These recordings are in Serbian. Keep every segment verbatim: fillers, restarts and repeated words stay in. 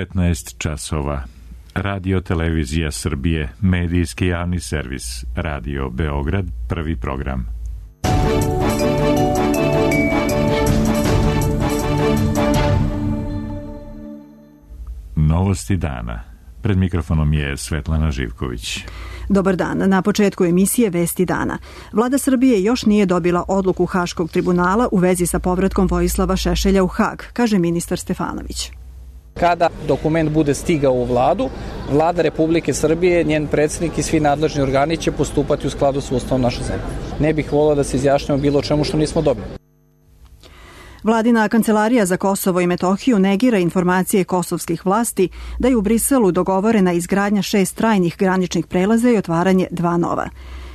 petnaest časova. Radio Televizija Srbije, medijski javni servis, Radio Beograd, prvi program. Novosti dana. Pred mikrofonom je Svetlana Živković. Dobar dan. Na početku emisije Vesti dana. Vlada Srbije još nije dobila odluku Haškog tribunala u vezi sa povratkom Vojislava Šešelja u Hag, kaže ministar Stefanović. Kada dokument bude stigao u vladu, Vlada Republike Srbije, njen predsjednik i svi nadležni organi će postupati u skladu s Ustavom naše zemlje. Ne bih volio da se izjašnjamo bilo čemu što nismo dobili. Vladina kancelarija za Kosovo i Metohiju negira informacije kosovskih vlasti da je u Briselu dogovorena izgradnja šest trajnih graničnih prelaza i otvaranje dva nova.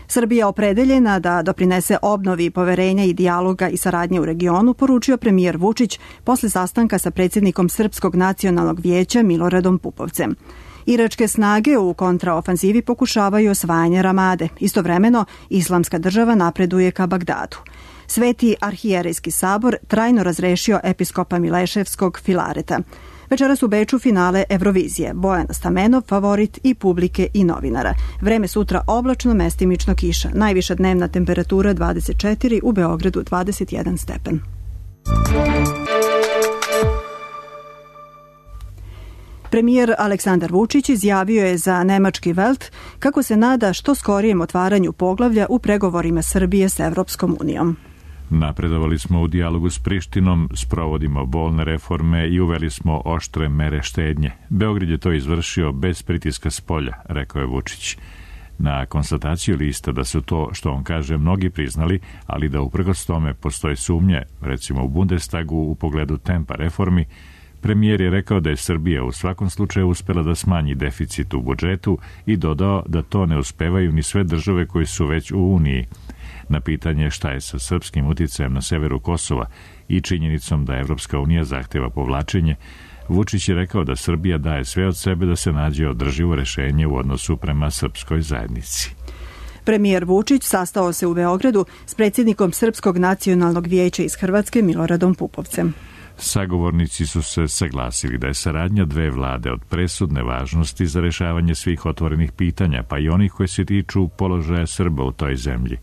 Srbija opredeljena da doprinese obnovi poverenja i dijaloga i saradnje u regionu, poručio premijer Vučić posle sastanka sa predsjednikom Srpskog nacionalnog vijeća Miloradom Pupovcem. Iračke snage u kontraofanzivi pokušavaju osvajanje Ramade. Istovremeno, Islamska država napreduje ka Bagdadu. Sveti arhijerejski sabor trajno razrešio episkopa Mileševskog Filareta. Večeras u Beču finale Eurovizije. Bojan Stamenov, favorit i publike i novinara. Vreme sutra oblačno, mestimično kiša. Najviša dnevna temperatura dvadeset četiri, u Beogradu dvadeset jedan stepen. Premijer Aleksandar Vučić izjavio je za nemački Welt kako se nada što skorijem otvaranju poglavlja u pregovorima Srbije s Evropskom unijom. Napredovali smo u dijalogu s Prištinom, sprovodimo bolne reforme i uveli smo oštre mere štednje. Beograd je to izvršio bez pritiska s polja, rekao je Vučić. Na konstataciju lista da su to, što on kaže, mnogi priznali, ali da uprkos tome postoje sumnje, recimo u Bundestagu u pogledu tempa reformi, premijer je rekao da je Srbija u svakom slučaju uspela da smanji deficit u budžetu i dodao da to ne uspevaju ni sve države koje su već u Uniji. Na pitanje šta je sa srpskim uticajem na severu Kosova i činjenicom da Evropska unija zahteva povlačenje, Vučić je rekao da Srbija daje sve od sebe da se nađe održivo rešenje u odnosu prema srpskoj zajednici. Premijer Vučić sastao se u Beogradu s predsjednikom Srpskog nacionalnog vijeća iz Hrvatske Miloradom Pupovcem. Sagovornici su se saglasili da je saradnja dve vlade od presudne važnosti za rešavanje svih otvorenih pitanja, pa i onih koji se tiču položaja Srba u toj zemlji.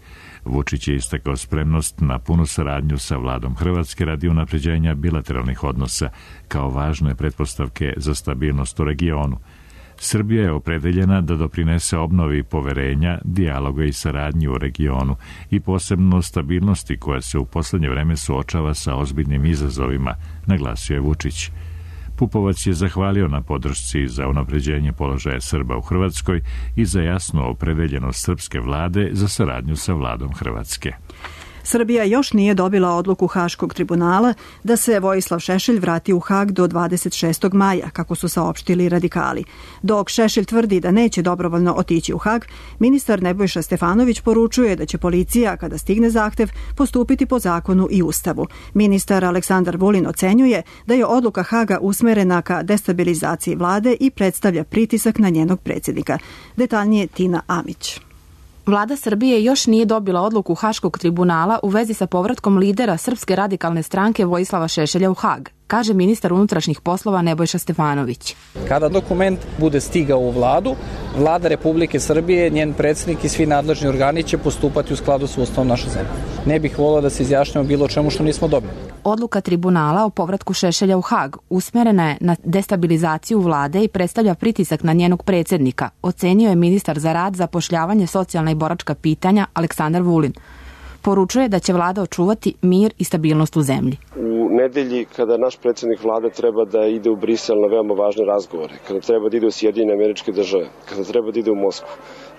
Vučić je istakao spremnost na punu saradnju sa vladom Hrvatske radi unapređenja bilateralnih odnosa kao važne pretpostavke za stabilnost u regionu. Srbija je opredeljena da doprinese obnovi poverenja, dijaloga i saradnji u regionu i posebno stabilnosti koja se u poslednje vreme suočava sa ozbiljnim izazovima, naglasio je Vučić. Pupovac je zahvalio na podršci za unapređenje položaja Srba u Hrvatskoj i za jasnu opredeljenost srpske vlade za saradnju sa vladom Hrvatske. Srbija još nije dobila odluku Haškog tribunala da se Vojislav Šešelj vrati u Hag do dvadeset šestog maja, kako su saopštili radikali. Dok Šešelj tvrdi da neće dobrovoljno otići u Hag, ministar Nebojša Stefanović poručuje da će policija, kada stigne zahtev, postupiti po zakonu i ustavu. Ministar Aleksandar Vulin ocenjuje da je odluka Haga usmerena ka destabilizaciji vlade i predstavlja pritisak na njenog predsjednika. Detaljnije Tina Amić. Vlada Srbije još nije dobila odluku Haškog tribunala u vezi sa povratkom lidera Srpske radikalne stranke Vojislava Šešelja u Hag, kaže ministar unutrašnjih poslova Nebojša Stefanović. Kada dokument bude stigao u vladu, Vlada Republike Srbije, njen predsjednik i svi nadležni organi će postupati u skladu s Ustavom naše zemlje. Ne bih volio da se izjašnjamo bilo čemu što nismo dobili. Odluka tribunala o povratku Šešelja u Hag usmerena je na destabilizaciju vlade i predstavlja pritisak na njenog predsjednika, ocenio je ministar za rad, zapošljavanje, socijalna i boračka pitanja Aleksandar Vulin. Poručuje da će vlada očuvati mir i stabilnost u zemlji. U nedelji, kada naš predsjednik vlade treba da ide u Brisel na veoma važne razgovore, kada treba da ide u Sjedinjene Američke Države, kada treba da ide u Moskvu,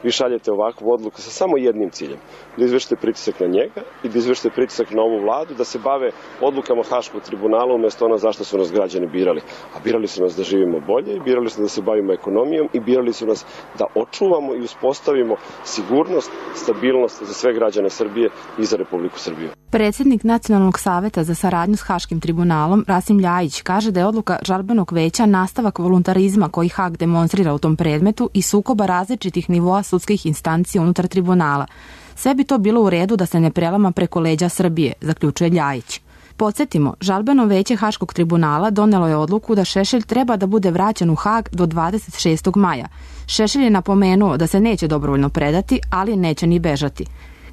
vi šaljete ovakvu odluku sa samo jednim ciljem, da izvršite pritisak na njega i da izvršite pritisak na ovu vladu, da se bave odlukama Haškog tribunala umjesto ono zašto su nas građani birali. A birali su nas da živimo bolje, birali su da se bavimo ekonomijom i birali su nas da očuvamo i uspostavimo sigurnost, stabilnost za sve građane Srbije i za Republiku Srbiju. Predsjednik Nacionalnog saveta za saradnju s Haškim tribunalom, Rasim Ljajić, kaže da je odluka žalbenog veća nastavak voluntarizma koji Hag demonstrira u tom predmetu i sukoba različitih nivoa sudskih instancija unutar tribunala. Sve bi to bilo u redu da se ne prelama preko leđa Srbije, zaključuje Ljajić. Podsjetimo, žalbeno veće Haškog tribunala donelo je odluku da Šešelj treba da bude vraćen u Hag do dvadeset šestog maja. Šešelj je napomenuo da se neće dobrovoljno predati, ali neće ni bežati.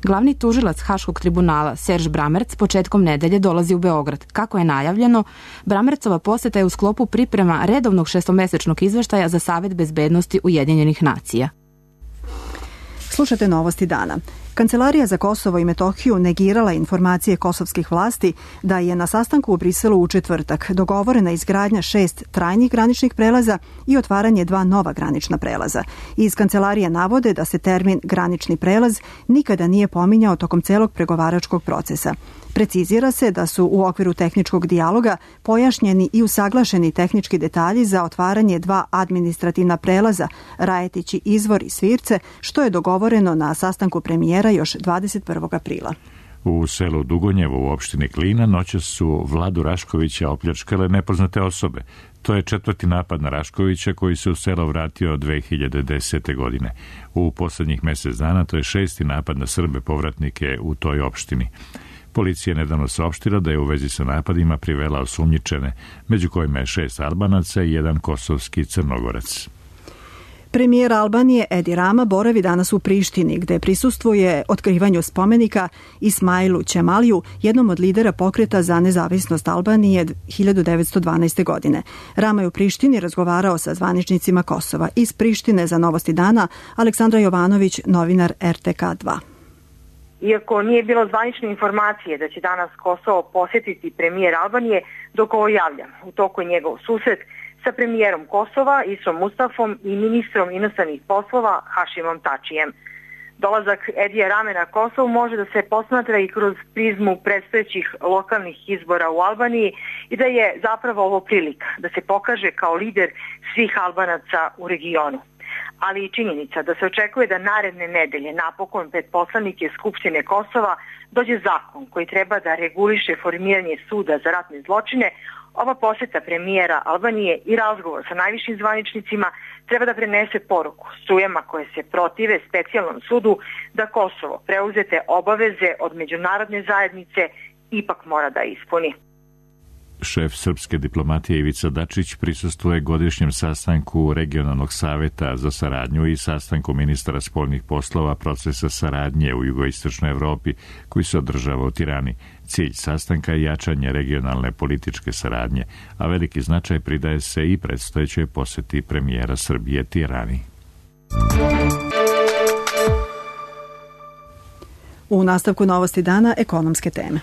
Glavni tužilac Haškog tribunala Serž Bramerc početkom nedelje dolazi u Beograd. Kako je najavljeno, Bramercova poseta je u sklopu priprema redovnog šestomesečnog izveštaja za Savet bezbednosti Ujedinjenih nacija. Slušate novosti dana. Kancelarija za Kosovo i Metohiju negirala informacije kosovskih vlasti da je na sastanku u Briselu u četvrtak dogovorena izgradnja šest trajnih graničnih prelaza i otvaranje dva nova granična prelaza. Iz kancelarije navode da se termin granični prelaz nikada nije pominjao tokom celog pregovaračkog procesa. Precizira se da su u okviru tehničkog dijaloga pojašnjeni i usaglašeni tehnički detalji za otvaranje dva administrativna prelaza, Rajetići izvor i Svirce, što je dogovoreno na sastanku premijera još dvadeset prvog aprila. U selu Dugonjevo u opštini Klina noćas su Vladu Raškovića opljačkale nepoznate osobe. To je četvrti napad na Raškovića koji se u selo vratio dve hiljade desete. godine. U poslednjih mesec dana to je šesti napad na Srbe povratnike u toj opštini. Policija je nedavno saopštila da je u vezi sa napadima privela osumnjičene, među kojima je šest Albanaca i jedan kosovski Crnogorac. Premijer Albanije Edi Rama boravi danas u Prištini, gde prisustvuje otkrivanju spomenika Ismailu Ćemaliju, jednom od lidera pokreta za nezavisnost Albanije hiljadu devetsto dvanaeste. godine. Rama je u Prištini razgovarao sa zvaničnicima Kosova. Iz Prištine za Novosti dana Aleksandra Jovanović, novinar R T K dva. Iako nije bilo zvanične informacije da će danas Kosovo posjetiti premijer Albanije, dok ovo javlja. U toku je njegov susret sa premijerom Kosova, Isom Mustafom i ministrom inostranih poslova Hašimom Tačijem. Dolazak Edija Rame na Kosovo može da se posmatra i kroz prizmu predstojećih lokalnih izbora u Albaniji i da je zapravo ovo prilika da se pokaže kao lider svih Albanaca u regionu. Ali i činjenica da se očekuje da naredne nedelje napokon pred poslanike Skupštine Kosova dođe zakon koji treba da reguliše formiranje suda za ratne zločine. Ova poseta premijera Albanije i razgovor sa najvišim zvaničnicima treba da prenese poruku strujama koje se protive specijalnom sudu da Kosovo preuzete obaveze od međunarodne zajednice ipak mora da ispuni. Šef srpske diplomatije Ivica Dačić prisustvuje godišnjem sastanku Regionalnog saveta za saradnju i sastanku ministara spoljnih poslova procesa saradnje u jugoistočnoj Evropi koji se održava u Tirani. Cilj sastanka je jačanje regionalne političke saradnje, a veliki značaj pridaje se i predstojećoj poseti premijera Srbije Tirani. U nastavku Novosti dana ekonomske teme.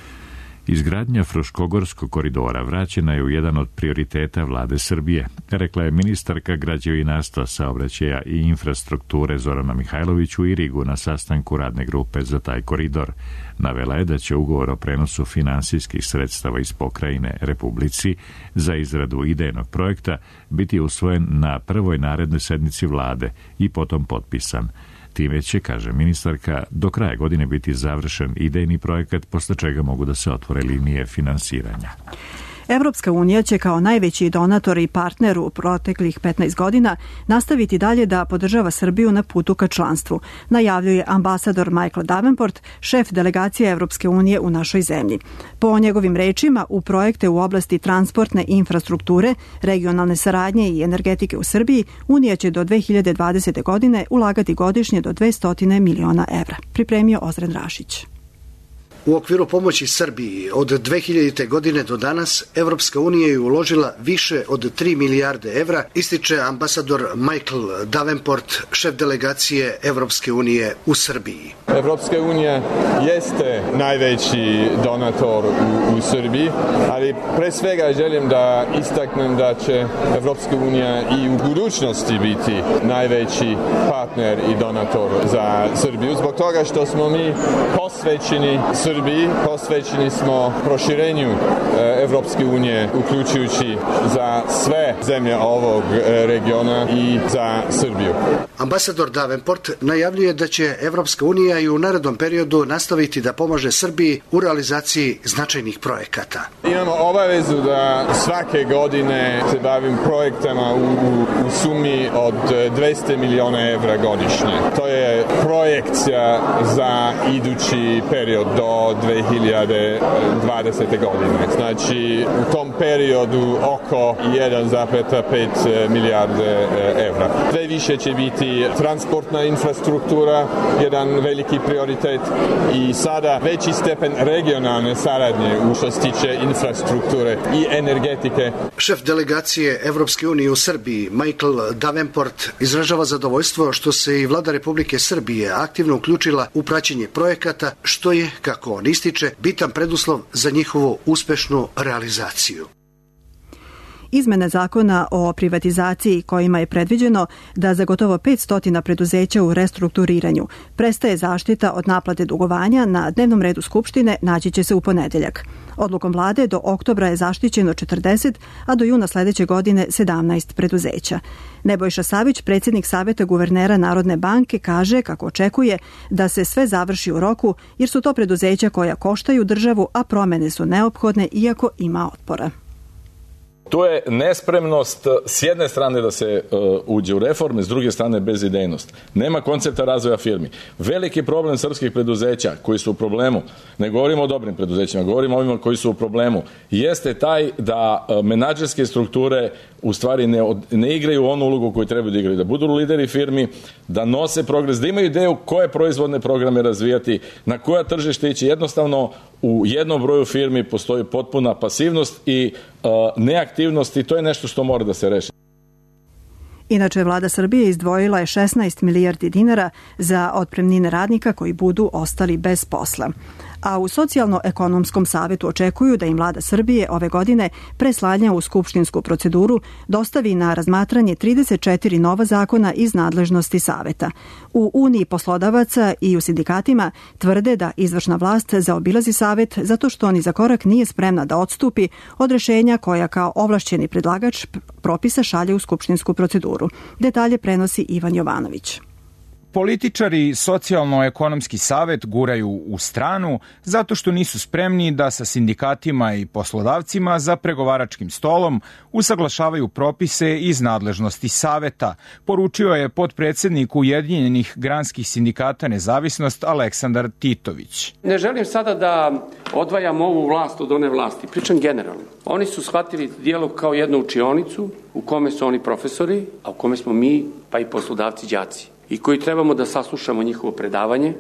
Izgradnja Fruškogorskog koridora vraćena je u jedan od prioriteta vlade Srbije, rekla je ministarka građevinarstva, saobraćaja i infrastrukture Zorana Mihajlović u Irigu na sastanku radne grupe za taj koridor. Navela je da će ugovor o prenosu finansijskih sredstava iz pokrajine Republici za izradu idejnog projekta biti usvojen na prvoj narednoj sednici vlade i potom potpisan. Time će, kaže ministarka, do kraja godine biti završen idejni projekat, posle čega mogu da se otvore linije finansiranja. Evropska unija će kao najveći donator i partner u proteklih petnaest godina nastaviti dalje da podržava Srbiju na putu ka članstvu, najavljuje ambasador Michael Davenport, šef delegacije Evropske unije u našoj zemlji. Po njegovim rečima, u projekte u oblasti transportne infrastrukture, regionalne saradnje i energetike u Srbiji, Unija će do dve hiljade dvadesete. godine ulagati godišnje do dvesta miliona evra. Pripremio Ozren Rašić. U okviru pomoći Srbiji od dve hiljadite. godine do danas Evropska unija je uložila više od tri milijarde evra, ističe ambasador Michael Davenport, šef delegacije Evropske unije u Srbiji. Evropska unija jeste najveći donator u, u Srbiji, ali pre svega želim da istaknem da će Evropska unija i u budućnosti biti najveći partner i donator za Srbiju, zbog toga što smo mi posvećeni Srbiji, posvećeni smo proširenju Evropske unije, uključujući za sve zemlje ovog regiona i za Srbiju. Ambasador Davenport najavljuje da će Evropska unija i u narednom periodu nastaviti da pomaže Srbiji u realizaciji značajnih projekata. Imamo obavezu da svake godine se bavim projektama u, u, u sumi od dvesta miliona evra godišnje. To je projekcija za idući period do do dve hiljade dvadesete. godine. Znači, u tom periodu oko jedan zarez pet milijarde evra. Sve više će biti transportna infrastruktura, jedan veliki prioritet i sada veći stepen regionalne saradnje u što se tiče infrastrukture i energetike. Šef delegacije Evropske unije u Srbiji, Michael Davenport, izražava zadovoljstvo što se i vlada Republike Srbije aktivno uključila u praćenje projekata, što je, kako on ističe, bitan preduslov za njihovu uspešnu realizaciju. Izmene zakona o privatizaciji kojima je predviđeno da za gotovo petsto preduzeća u restrukturiranju prestaje zaštita od naplate dugovanja na dnevnom redu Skupštine naći će se u ponedeljak. Odlukom vlade do oktobra je zaštićeno četrdeset, a do juna sledeće godine sedamnaest preduzeća. Nebojša Savić, predsjednik Saveta guvernera Narodne banke, kaže kako očekuje da se sve završi u roku jer su to preduzeća koja koštaju državu, a promene su neophodne iako ima otpora. To je nespremnost s jedne strane da se uh, uđe u reforme, s druge strane bezidejnost. Nema koncepta razvoja firmi. Veliki problem srpskih preduzeća koji su u problemu, ne govorimo o dobrim preduzećima, govorimo o ovima koji su u problemu, jeste taj da uh, menadžerske strukture u stvari ne, od, ne igraju onu ulogu koju trebaju da igraju, da budu lideri firmi, da nose progres, da imaju ideju koje proizvodne programe razvijati, na koja tržište ići. Jednostavno u jednom broju firmi postoji potpuna pasivnost i uh, neaktivnost i to je nešto što mora da se reši. Inače, vlada Srbije izdvojila je šesnaest milijardi dinara za otpremnine radnika koji budu ostali bez posla. A u Socijalno-ekonomskom savetu očekuju da im vlada Srbije ove godine pre slanja u skupštinsku proceduru dostavi na razmatranje trideset četiri nova zakona iz nadležnosti saveta. U Uniji poslodavaca i u sindikatima tvrde da izvršna vlast zaobilazi savet zato što ni za korak nije spremna da odstupi od rešenja koja kao ovlašćeni predlagač propisa šalje u skupštinsku proceduru. Detalje prenosi Ivan Jovanović. Političari Socijalno-ekonomski savet guraju u stranu zato što nisu spremni da sa sindikatima i poslodavcima za pregovaračkim stolom usaglašavaju propise iz nadležnosti saveta, poručio je potpredsednik Ujedinjenih granskih sindikata Nezavisnost Aleksandar Titović. Ne želim sada da odvajam ovu vlast od one vlasti, pričam generalno. Oni su shvatili dijalog kao jednu učionicu u kome su oni profesori, a u kome smo mi pa i poslodavci đaci. I koji trebamo da saslušamo njihovo predavanje,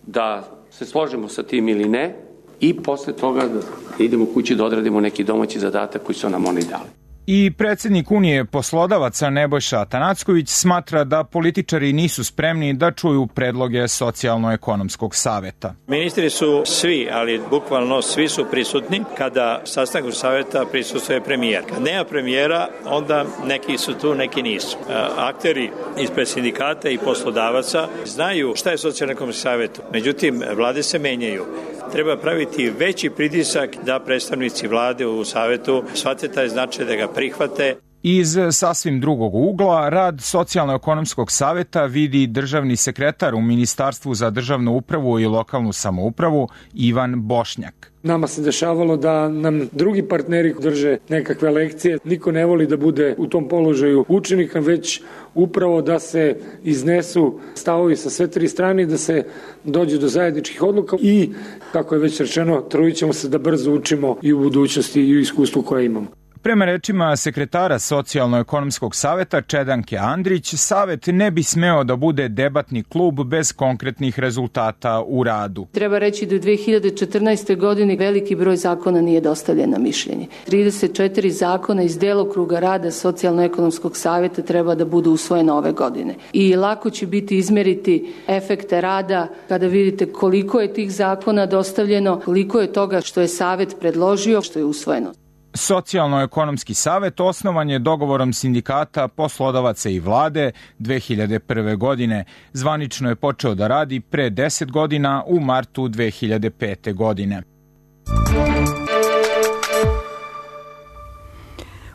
da se složimo sa tim ili ne i posle toga da idemo kući da odradimo neki domaći zadatak koji su nam oni dali. I predsjednik Unije poslodavaca Nebojša Atanacković smatra da političari nisu spremni da čuju predloge Socijalno-ekonomskog saveta. Ministri su svi, ali bukvalno svi su prisutni kada sastanku saveta prisustuje premijer. Kad nema premijera, onda neki su tu, neki nisu. Akteri ispred sindikata i poslodavaca znaju šta je Socijalno-ekonomski savet. Međutim, vlade se menjaju. Treba praviti veći pritisak da predstavnici vlade u savetu shvate taj značaj da ga prihvate. Iz sasvim drugog ugla, rad Socijalno-ekonomskog saveta vidi državni sekretar u Ministarstvu za državnu upravu i lokalnu samoupravu Ivan Bošnjak. Nama se dešavalo da nam drugi partneri drže nekakve lekcije. Niko ne voli da bude u tom položaju učenika, već upravo da se iznesu stavovi sa sve tri strane, da se dođe do zajedničkih odluka i, kako je već rečeno, trudit ćemo se da brzo učimo i u budućnosti i u iskustvu koje imamo. Prema rečima sekretara Socijalno-ekonomskog saveta Čedanke Andrić, savet ne bi smeo da bude debatni klub bez konkretnih rezultata u radu. Treba reći da u dve hiljade četrnaestoj. godini veliki broj zakona nije dostavljen na mišljenje. trideset četiri zakona iz delokruga rada Socijalno-ekonomskog saveta treba da budu usvojene ove godine. I lako će biti izmeriti efekte rada kada vidite koliko je tih zakona dostavljeno, koliko je toga što je savet predložio, što je usvojeno. Socijalno-ekonomski savet osnovan je dogovorom sindikata, poslodavaca i vlade dve hiljade prve. godine. Zvanično je počeo da radi pre deset godina u martu dve hiljade pete. godine.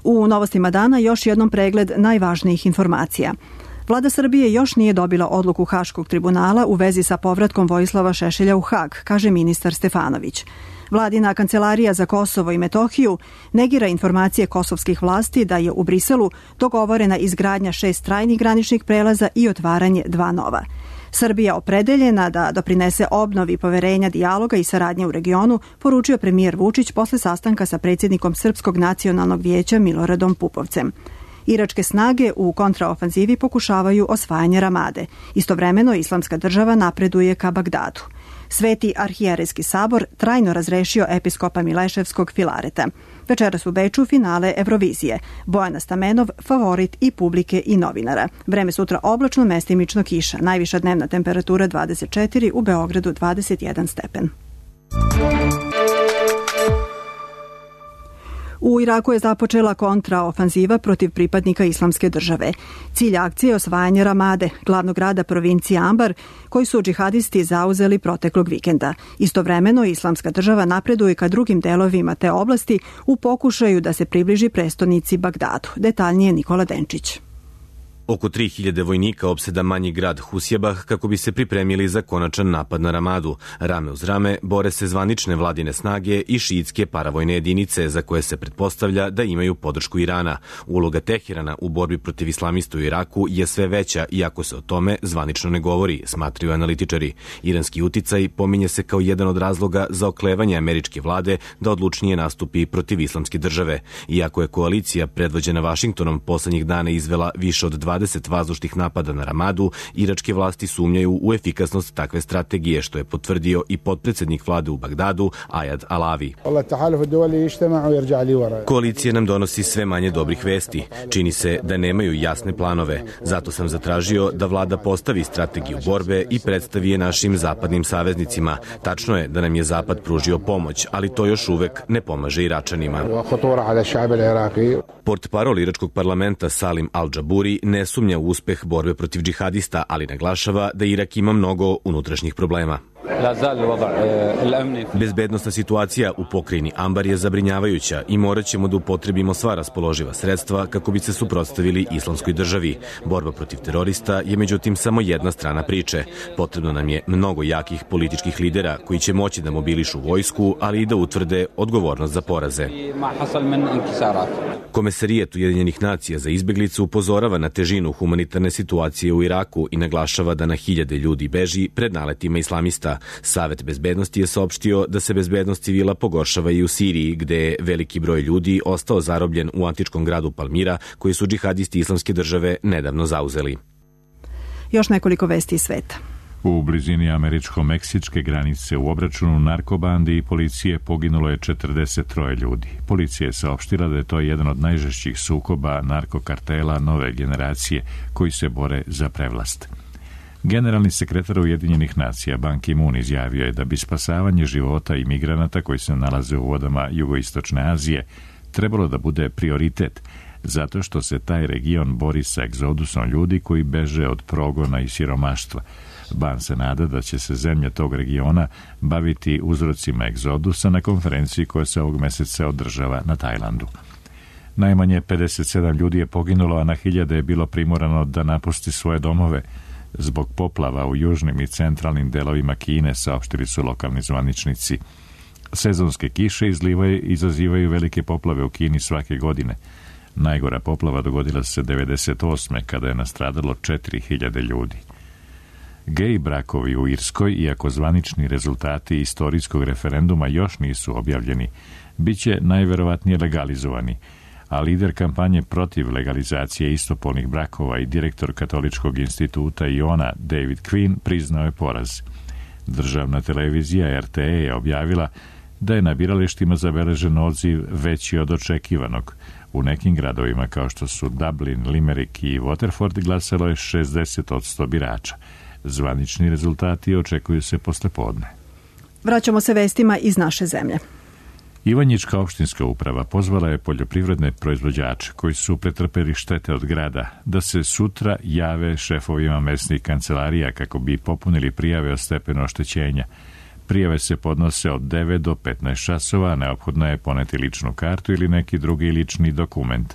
U novostima dana još jednom pregled najvažnijih informacija. Vlada Srbije još nije dobila odluku Haškog tribunala u vezi sa povratkom Vojislava Šešelja u Hag, kaže ministar Stefanović. Vladina kancelarija za Kosovo i Metohiju negira informacije kosovskih vlasti da je u Briselu dogovorena izgradnja šest trajnih graničnih prelaza i otvaranje dva nova. Srbija opredeljena da doprinese obnovi poverenja, dijaloga i saradnje u regionu, poručio premijer Vučić posle sastanka sa predsjednikom Srpskog nacionalnog vijeća Miloradom Pupovcem. Iračke snage u kontraofanzivi pokušavaju osvajanje Ramade. Istovremeno Islamska država napreduje ka Bagdadu. Sveti arhijerejski sabor trajno razrešio episkopa Mileševskog Filareta. Večeras u Beču finale Eurovizije. Bojana Stamenov, favorit i publike i novinara. Vreme sutra oblačno, mestimično kiša. Najviša dnevna temperatura dvadeset četiri, u Beogradu dvadeset jedan stepen. U Iraku je započela kontraofanziva protiv pripadnika Islamske države. Cilj akcije je osvajanje Ramade, glavnog grada provincije Ambar, koji su džihadisti zauzeli proteklog vikenda. Istovremeno Islamska država napreduje ka drugim delovima te oblasti u pokušaju da se približi prestonici Bagdadu. Detaljnije Nikola Denčić. Oko tri hiljade vojnika opseda manji grad Husjebah kako bi se pripremili za konačan napad na Ramadu. Rame uz rame bore se zvanične vladine snage i šiitske paravojne jedinice za koje se pretpostavlja da imaju podršku Irana. Uloga Teherana u borbi protiv islamista u Iraku je sve veća, iako se o tome zvanično ne govori, smatraju analitičari. Iranski uticaj pominje se kao jedan od razloga za oklevanje američke vlade da odlučnije nastupi protiv islamske države. Iako je koalicija predvođena Vašingtonom poslednjih dana izvela više od dvadeset vazdušnih napada na Ramadu, iračke vlasti sumnjaju u efikasnost takve strategije, što je potvrdio i potpredsednik vlade u Bagdadu, Ajad Alavi. Koalicija nam donosi sve manje dobrih vesti. Čini se da nemaju jasne planove. Zato sam zatražio da vlada postavi strategiju borbe i predstavi je našim zapadnim saveznicima. Tačno je da nam je Zapad pružio pomoć, ali to još uvek ne pomaže Iračanima. Portparol iračkog parlamenta Salim Al-Džaburi ne sumnja u uspeh borbe protiv džihadista, ali naglašava da Irak ima mnogo unutrašnjih problema. Bezbednosna situacija u pokrajini Ambar je zabrinjavajuća i morat ćemo da upotrebimo sva raspoloživa sredstva kako bi se suprotstavili islamskoj državi. Borba protiv terorista je međutim samo jedna strana priče. Potrebno nam je mnogo jakih političkih lidera koji će moći da mobilišu vojsku, ali i da utvrde odgovornost za poraze. Komesarijet Ujedinjenih nacija za izbeglice upozorava na težinu humanitarne situacije u Iraku i naglašava da na hiljade ljudi beži pred naletima islamista. Savet bezbednosti je saopštio da se bezbednost civila pogoršava i u Siriji, gde je veliki broj ljudi ostao zarobljen u antičkom gradu Palmira, koji su džihadisti islamske države nedavno zauzeli. Još nekoliko vesti iz sveta. U blizini američko-meksičke granice u obračunu narkobandi i policije poginulo je četrdeset tri ljudi. Policija je saopštila da je to jedan od najžešćih sukoba narkokartela nove generacije koji se bore za prevlast. Generalni sekretar Ujedinjenih nacija Ban Ki-moon izjavio je da bi spasavanje života imigranata koji se nalaze u vodama jugoistočne Azije trebalo da bude prioritet, zato što se taj region bori sa egzodusom ljudi koji beže od progona i siromaštva. Ban se nada da će se zemlje tog regiona baviti uzrocima egzodusa na konferenciji koja se ovog meseca održava na Tajlandu. Najmanje pedeset sedam ljudi je poginulo, a na hiljade je bilo primorano da napusti svoje domove zbog poplava u južnim i centralnim delovima Kine, saopštili su lokalni zvaničnici. Sezonske kiše izlivaju, izazivaju velike poplave u Kini svake godine. Najgora poplava dogodila se devedeset osme kada je nastradalo četiri hiljade ljudi. Gej brakovi u Irskoj, iako zvanični rezultati istorijskog referenduma još nisu objavljeni, bit će najverovatnije legalizovani, a lider kampanje protiv legalizacije istopolnih brakova i direktor Katoličkog instituta Iona David Quinn priznao je poraz. Državna televizija R T E je objavila da je na biralištima zabeležen odziv veći od očekivanog. U nekim gradovima kao što su Dublin, Limerick i Waterford glasalo je šezdeset posto birača. Zvanični rezultati očekuju se posle podne. Vraćamo se vestima iz naše zemlje. Ivanjička opštinska uprava pozvala je poljoprivredne proizvođače koji su pretrpeli štete od grada da se sutra jave šefovima mesnih kancelarija kako bi popunili prijave o stepenu oštećenja. Prijave se podnose od devet do petnaest časova, a neophodno je poneti ličnu kartu ili neki drugi lični dokument.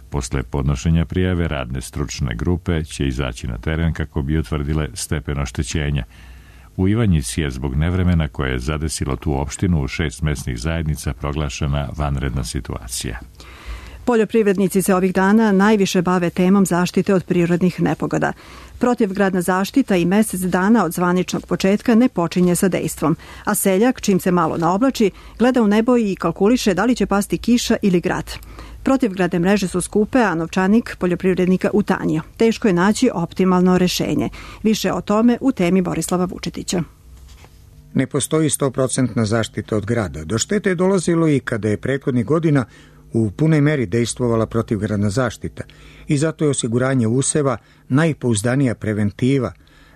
Posle podnošenja prijave radne stručne grupe će izaći na teren kako bi utvrdile stepen oštećenja. U Ivanjici je zbog nevremena koje je zadesilo tu opštinu u šest mesnih zajednica proglašena vanredna situacija. Poljoprivrednici se ovih dana najviše bave temom zaštite od prirodnih nepogoda. Protivgradna zaštita i mesec dana od zvaničnog početka ne počinje sa dejstvom, a seljak, čim se malo naoblači, gleda u nebo i kalkuliše da li će pasti kiša ili grad. Protivgradne mreže su skupe, a novčanik poljoprivrednika utanjio. Teško je naći optimalno rešenje. Više o tome u temi Borislava Vučetića. Ne postoji sto posto zaštita od grada. Do štete je dolazilo i kada je prethodnih godina u punoj meri dejstvovala protivgradna zaštita i zato je osiguranje useva najpouzdanija preventiva,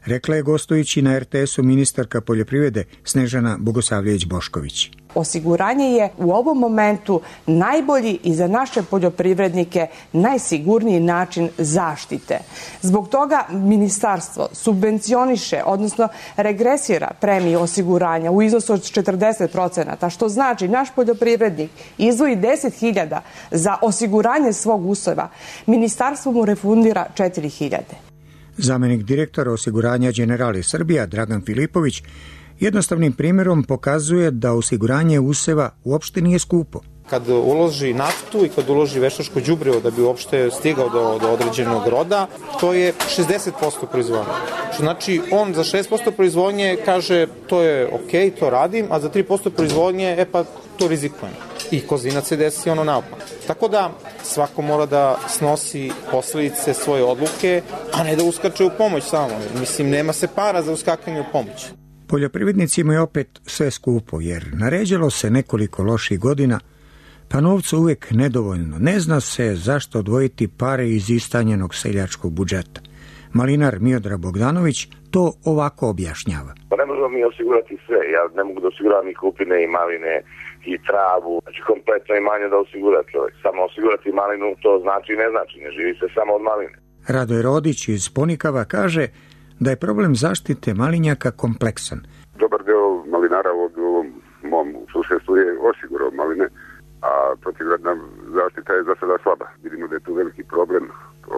rekla je gostujući na er te esu ministarka poljoprivrede Snežana Bogosavljević-Bošković. Osiguranje je u ovom momentu najbolji i za naše poljoprivrednike najsigurniji način zaštite. Zbog toga ministarstvo subvencioniše, odnosno regresira premiju osiguranja u iznosu od četrdeset procenata, što znači naš poljoprivrednik izdvoji deset hiljada za osiguranje svog useva, ministarstvo mu refundira četiri hiljade. Zamenik direktora osiguranja Generali Srbija Dragan Filipović jednostavnim primjerom pokazuje da osiguranje useva uopšte nije skupo. Kad uloži naftu i kad uloži veštačko đubrivo da bi uopšte stigao do, do određenog roda, to je šezdeset posto proizvodnje. Što znači on za šest posto proizvodnje kaže to je ok, to radim, a za tri posto proizvodnje, e pa to rizikujem. I kozinac se desi ono naopak. Tako da svako mora da snosi posledice svoje odluke, a ne da uskače u pomoć samo. Mislim, nema se para za uskakanje u pomoć. Poljoprivrednicima je opet sve skupo, jer naređalo se nekoliko loših godina, pa novca uvek nedovoljno. Ne zna se zašto odvojiti pare iz istanjenog seljačkog budžeta. Malinar Miodrag Bogdanović to ovako objašnjava. Pa ne možemo mi osigurati sve. Ja ne mogu da osiguravam i kupine i maline i travu. Znači kompletno imanje da osigura čovjek. Samo osigurati malinu to znači i ne znači. Ne živi se samo od maline. Radoje Rodić iz Ponikava kaže da je problem zaštite malinjaka kompleksan. Dobar deo malinara u ovom mom susjedstvu je osigurao maline, a protivgradna zaštita je za sada slaba. Vidimo da je tu veliki problem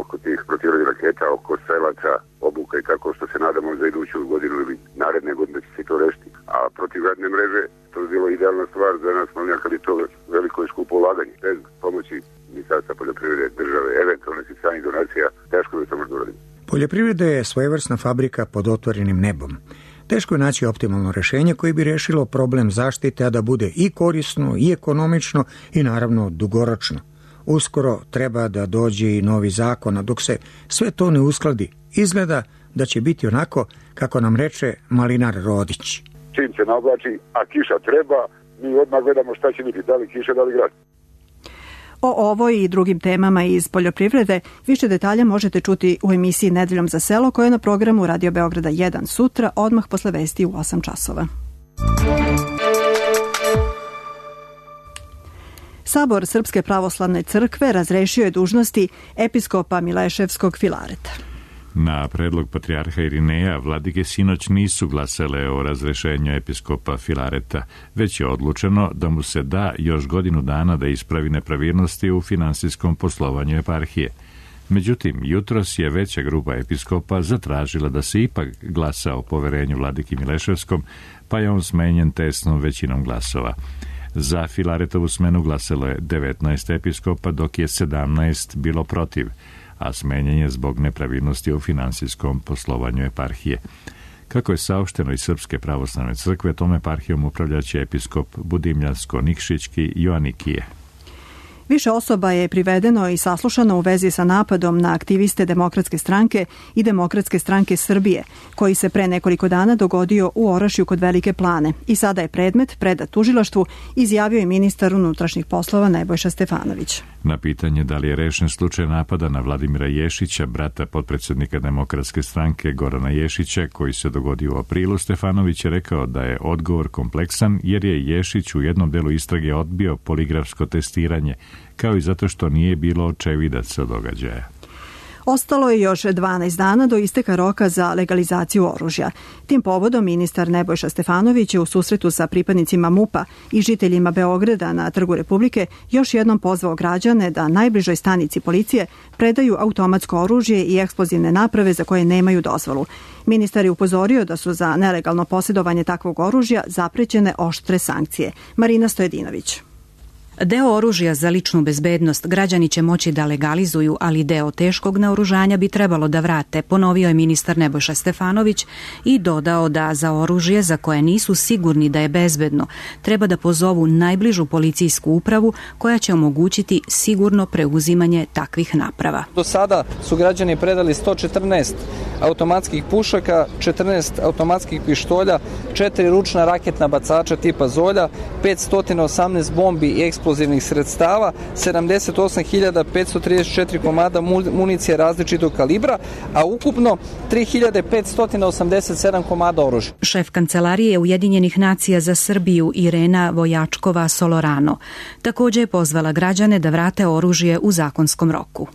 oko tih protivgradnih raketa, oko strelaca, obuka i tako, što se nadamo za iduću godinu ili naredne godine će se to rešiti. A protivgradne mreže, to je bilo idealna stvar za nas malinjaka, ali to veliko i skupo ulaganje. Bez pomoći Ministarstva poljoprivrede, države, eventualne stranih donacija, teško da to može uraditi. Poljoprivreda je svojevrsna fabrika pod otvorenim nebom. Teško je naći optimalno rešenje koje bi rešilo problem zaštite, a da bude i korisno, i ekonomično, i naravno dugoročno. Uskoro treba da dođe i novi zakon, a dok se sve to ne uskladi, izgleda da će biti onako kako nam reče Malinar Rodić. Čim se naoblači, a kiša treba, mi odmah gledamo šta će biti, da li kiša, da li grad. O ovoj i drugim temama iz poljoprivrede više detalja možete čuti u emisiji Nedeljom za selo koja je na programu Radio Beograda jedan sutra, odmah posle vesti u osam časova. Sabor Srpske pravoslavne crkve razrešio je dužnosti episkopa Mileševskog Filareta. Na predlog patrijarha Irineja, vladike sinoć nisu glasale o razrešenju episkopa Filareta, već je odlučeno da mu se da još godinu dana da ispravi nepravilnosti u finansijskom poslovanju eparhije. Međutim, jutros je veća grupa episkopa zatražila da se ipak glasa o poverenju vladiki Mileševskom, pa je on smenjen tesnom većinom glasova. Za Filaretovu smenu glasalo je devetnaest episkopa, dok je sedamnaest bilo protiv, a smenjen je zbog nepravilnosti u finansijskom poslovanju eparhije. Kako je saopšteno iz Srpske pravoslavne crkve, tom eparhijom upravljaće episkop Budimljansko-Nikšićki Joanikije. Više osoba je privedeno i saslušano u vezi sa napadom na aktiviste Demokratske stranke i Demokratske stranke Srbije, koji se pre nekoliko dana dogodio u Orašju kod Velike Plane i sada je predmet predat tužilaštvu, izjavio je ministar unutrašnjih poslova Nebojša Stefanović. Na pitanje da li je rešen slučaj napada na Vladimira Ješića, brata potpredsednika Demokratske stranke Gorana Ješića, koji se dogodio u aprilu, Stefanović je rekao da je odgovor kompleksan jer je Ješić u jednom delu istrage odbio poligrafsko testiranje, kao i zato što nije bilo očevidaca događaja. Ostalo je još dvanaest dana do isteka roka za legalizaciju oružja. Tim povodom ministar Nebojša Stefanović je u susretu sa pripadnicima MUP-a i žiteljima Beograda na Trgu Republike još jednom pozvao građane da najbližoj stanici policije predaju automatsko oružje i eksplozivne naprave za koje nemaju dozvolu. Ministar je upozorio da su za nelegalno posjedovanje takvog oružja zaprećene oštre sankcije. Marina Stojedinović. Deo oružja za ličnu bezbednost građani će moći da legalizuju, ali deo teškog naoružanja bi trebalo da vrate, ponovio je ministar Nebojša Stefanović i dodao da za oružje za koje nisu sigurni da je bezbedno treba da pozovu najbližu policijsku upravu koja će omogućiti sigurno preuzimanje takvih naprava. Do sada su građani predali sto četrnaest automatskih pušaka, četrnaest automatskih pištolja, četiri ručna raketna bacača tipa Zolja, petsto osamnaest bombi i eksplozivnih sredstava, sedamdeset osam hiljada petsto trideset četiri komada municije različitog kalibra, a ukupno tri hiljade petsto osamdeset sedam komada oružja. Šef Kancelarije Ujedinjenih nacija za Srbiju Irena Vojačkova Solorano također je pozvala građane da vrate oružje u zakonskom roku.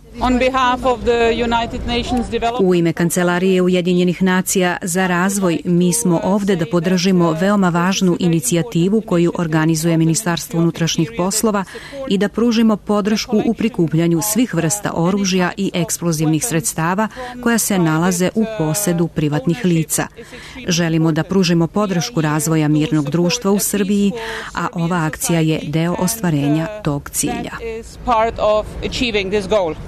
U ime Kancelarije Ujedinjenih nacija za razvoj mi smo ovde da podržimo veoma važnu inicijativu koju organizuje Ministarstvo unutrašnjih poslova i da pružimo podršku u prikupljanju svih vrsta oružja i eksplozivnih sredstava koja se nalaze u posedu privatnih lica. Želimo da pružimo podršku razvoja mirnog društva u Srbiji, a ova akcija je deo ostvarenja tog cilja.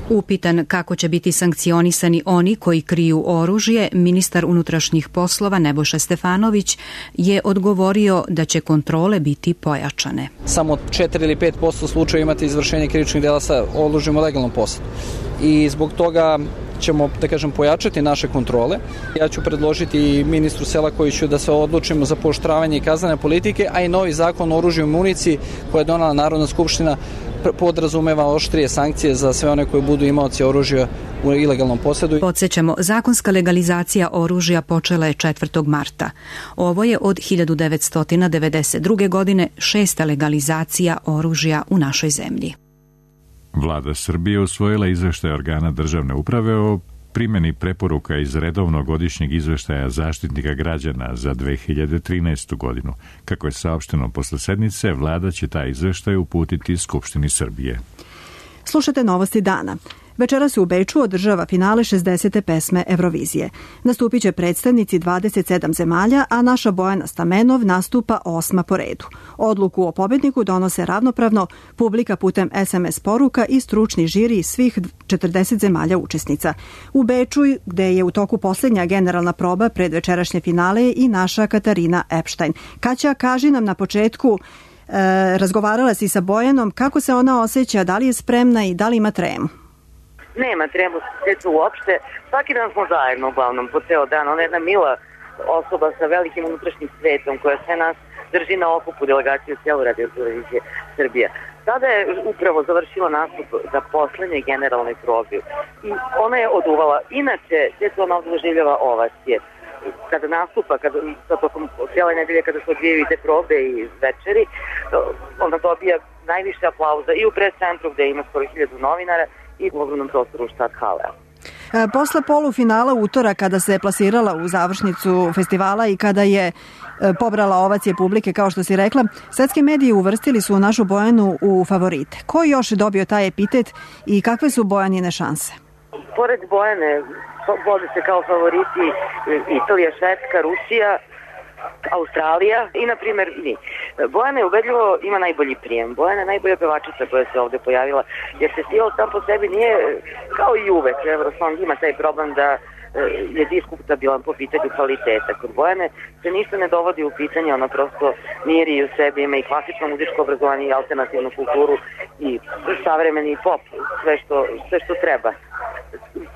Upitan kako će biti sankcionisani oni koji kriju oružje, ministar unutrašnjih poslova Nebojša Stefanović je odgovorio da će kontrole biti pojačane. Samo četiri ili pet posto slučajeva imate izvršenje krivičnih dela sa oružjem u legalnom posedu. I zbog toga ćemo, da kažem, pojačati naše kontrole. Ja ću predložiti ministru Selakoviću da se odlučimo za pooštravanje i kaznene politike, a i novi zakon o oružju i municiji koje je donela Narodna skupština podrazumeva oštrije sankcije za sve one koji budu imaoci oružja u ilegalnom posedu. Podsjećamo, zakonska legalizacija oružja počela je četvrtog marta. Ovo je od hiljadu devetsto devedeset druge. godine šesta legalizacija oružja u našoj zemlji. Vlada Srbije usvojila izveštaj organa državne uprave o primjeni preporuka iz redovnog godišnjeg izveštaja Zaštitnika građana za dve hiljade trinaestu. godinu. Kako je saopšteno posle sednice, vlada će taj izveštaj uputiti Skupštini Srbije. Slušate novosti dana. Večeras se u Beču održava finale šezdesete pesme Eurovizije. Nastupit će predstavnici dvadeset sedam zemalja, a naša Bojana Stamenov nastupa osma po redu. Odluku o pobedniku donose ravnopravno publika putem es em es poruka i stručni žiri svih četrdeset zemalja učesnica. U Beču, gde je u toku posljednja generalna proba pred večerašnje finale, i naša Katarina Epštajn. Kaća, kaži nam na početku, e, razgovarala si sa Bojanom, kako se ona osjeća, da li je spremna i da li ima tremu? Nema tremu sjeću uopšte. Svaki dan smo zajedno uglavnom po ceo dan. Ona je jedna mila osoba sa velikim unutrašnjim svetom koja sve nas drži na okupu, delegaciju cijelu Radio Televizije Srbija. Sada je upravo završila nastup za poslednje generalnoj probi i ona je oduvala. Inače, sjeću ona ovdje doživljava ovacije. Kada nastupa, kada, tokom cijele nedelje kada se odvijaju te probe i večeri, onda dobija najviše aplauza i u pres centru gde ima skoro hiljadu novinara i u ogromnom prostoru Štad hale. Posle polufinala utora, kada se plasirala u završnicu festivala i kada je pobrala ovacije publike, kao što si rekla, svetski mediji uvrstili su našu Bojanu u favorite. Ko još je dobio taj epitet i kakve su Bojanine šanse? Pored Bojane vode se kao favoriti Italija, Švedska, Rusija, Australija i, na primjer, mi. Bojana je ubedljivo, ima najbolji prijem. Bojana je najbolja pevačica koja se ovde pojavila, jer festival sam po sebi nije, kao i uvek, Eurosong ima taj problem da je diskutabilan po pitanju kvaliteta. Kod Bojane se ništa ne dovodi u pitanje, ona prosto miri u sebi, ima i klasično muzičko obrazovanje i alternativnu kulturu i savremeni pop, sve što, sve što treba.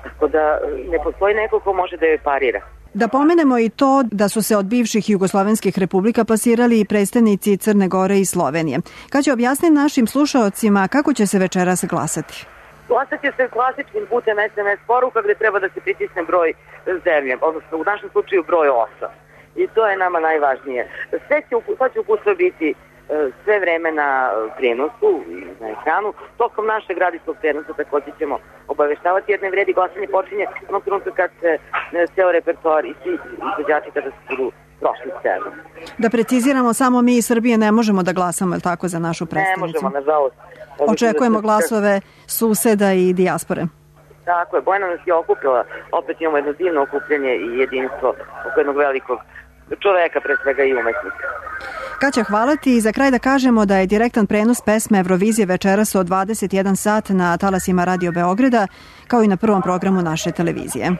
Tako da ne postoji neko ko može da joj parira. Da pomenemo i to da su se od bivših jugoslovenskih republika plasirali i predstavnici Crne Gore i Slovenije. Kad će objasniti našim slušaocima kako će se večeras glasati? Glasat će se klasičnim putem es em es poruka gde treba da se pritisne broj zemlje, odnosno u našem slučaju broj osam. I to je nama najvažnije. Sve će, sve će upustvo biti sve vreme na prenosu, na ekranu. Tokom našeg radijskog prenosa također ćemo obaveštavati, jer ne vredi, glasanje počinje onog trenutka kad se ceo repertoar i svi izvođači kada se budu prošli scenu. Da preciziramo, samo mi iz Srbije ne možemo da glasamo, je li tako, za našu predstavnicu? Ne možemo, nažalost. Očekujemo glasove suseda i dijaspore. Tako je, Bojana nas je okupila, opet imamo jedno divno okupljanje i jedinstvo oko jednog velikog čoveka, pre svega i umetnika. Kaća, hvala ti i za kraj da kažemo da je direktan prenos pesme Eurovizije večeras od dvadeset jedan sat na talasima Radio Beograda, kao i na prvom programu naše televizije.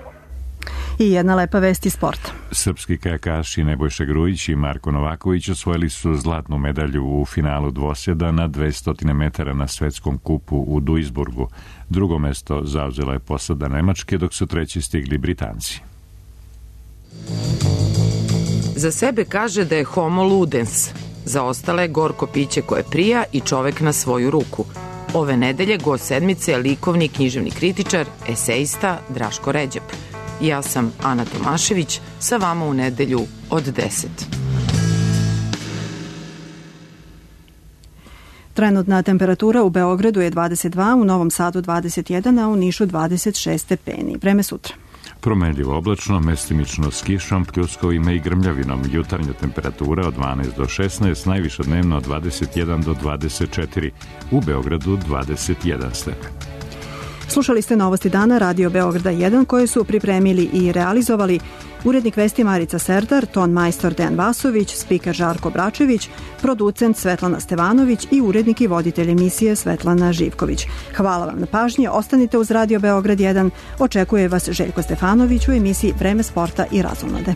I jedna lepa vest iz sporta. Srpski kajakaši Nebojša Grujić i Marko Novaković osvojili su zlatnu medalju u finalu dvosjeda na dvesta metara na svetskom kupu u Duisburgu. Drugo mesto zauzela je posada Nemačke, dok su treći stigli Britanci. Za sebe kaže da je homo ludens. Za ostale gorko piće koje prija i čovek na svoju ruku. Ove nedelje gost sedmice je likovni književni kritičar, esejista Draško Ređep. Ja sam Ana Tomašević, sa vama u nedelju od deset. Trenutna temperatura u Beogradu je dvadeset dva, u Novom Sadu dvadeset jedan, a u Nišu dvadeset šest stepeni. Vreme sutra. Promenljivo oblačno, mestimično s kišom, pljuskovima i grmljavinom. Jutarnja temperatura od dvanaest do šesnaest, najviša dnevno od dvadeset jedan do dvadeset četiri, u Beogradu dvadeset jedan stepen. Slušali ste Novosti dana Radio Beograda jedan koje su pripremili i realizovali urednik vesti Marica Serdar, ton majstor Dejan Vasović, spiker Žarko Bračević, producent Svetlana Stevanović i urednik i voditelj emisije Svetlana Živković. Hvala vam na pažnji, ostanite uz Radio Beograd jedan, očekuje vas Željko Stefanović u emisiji Vreme sporta i razonode.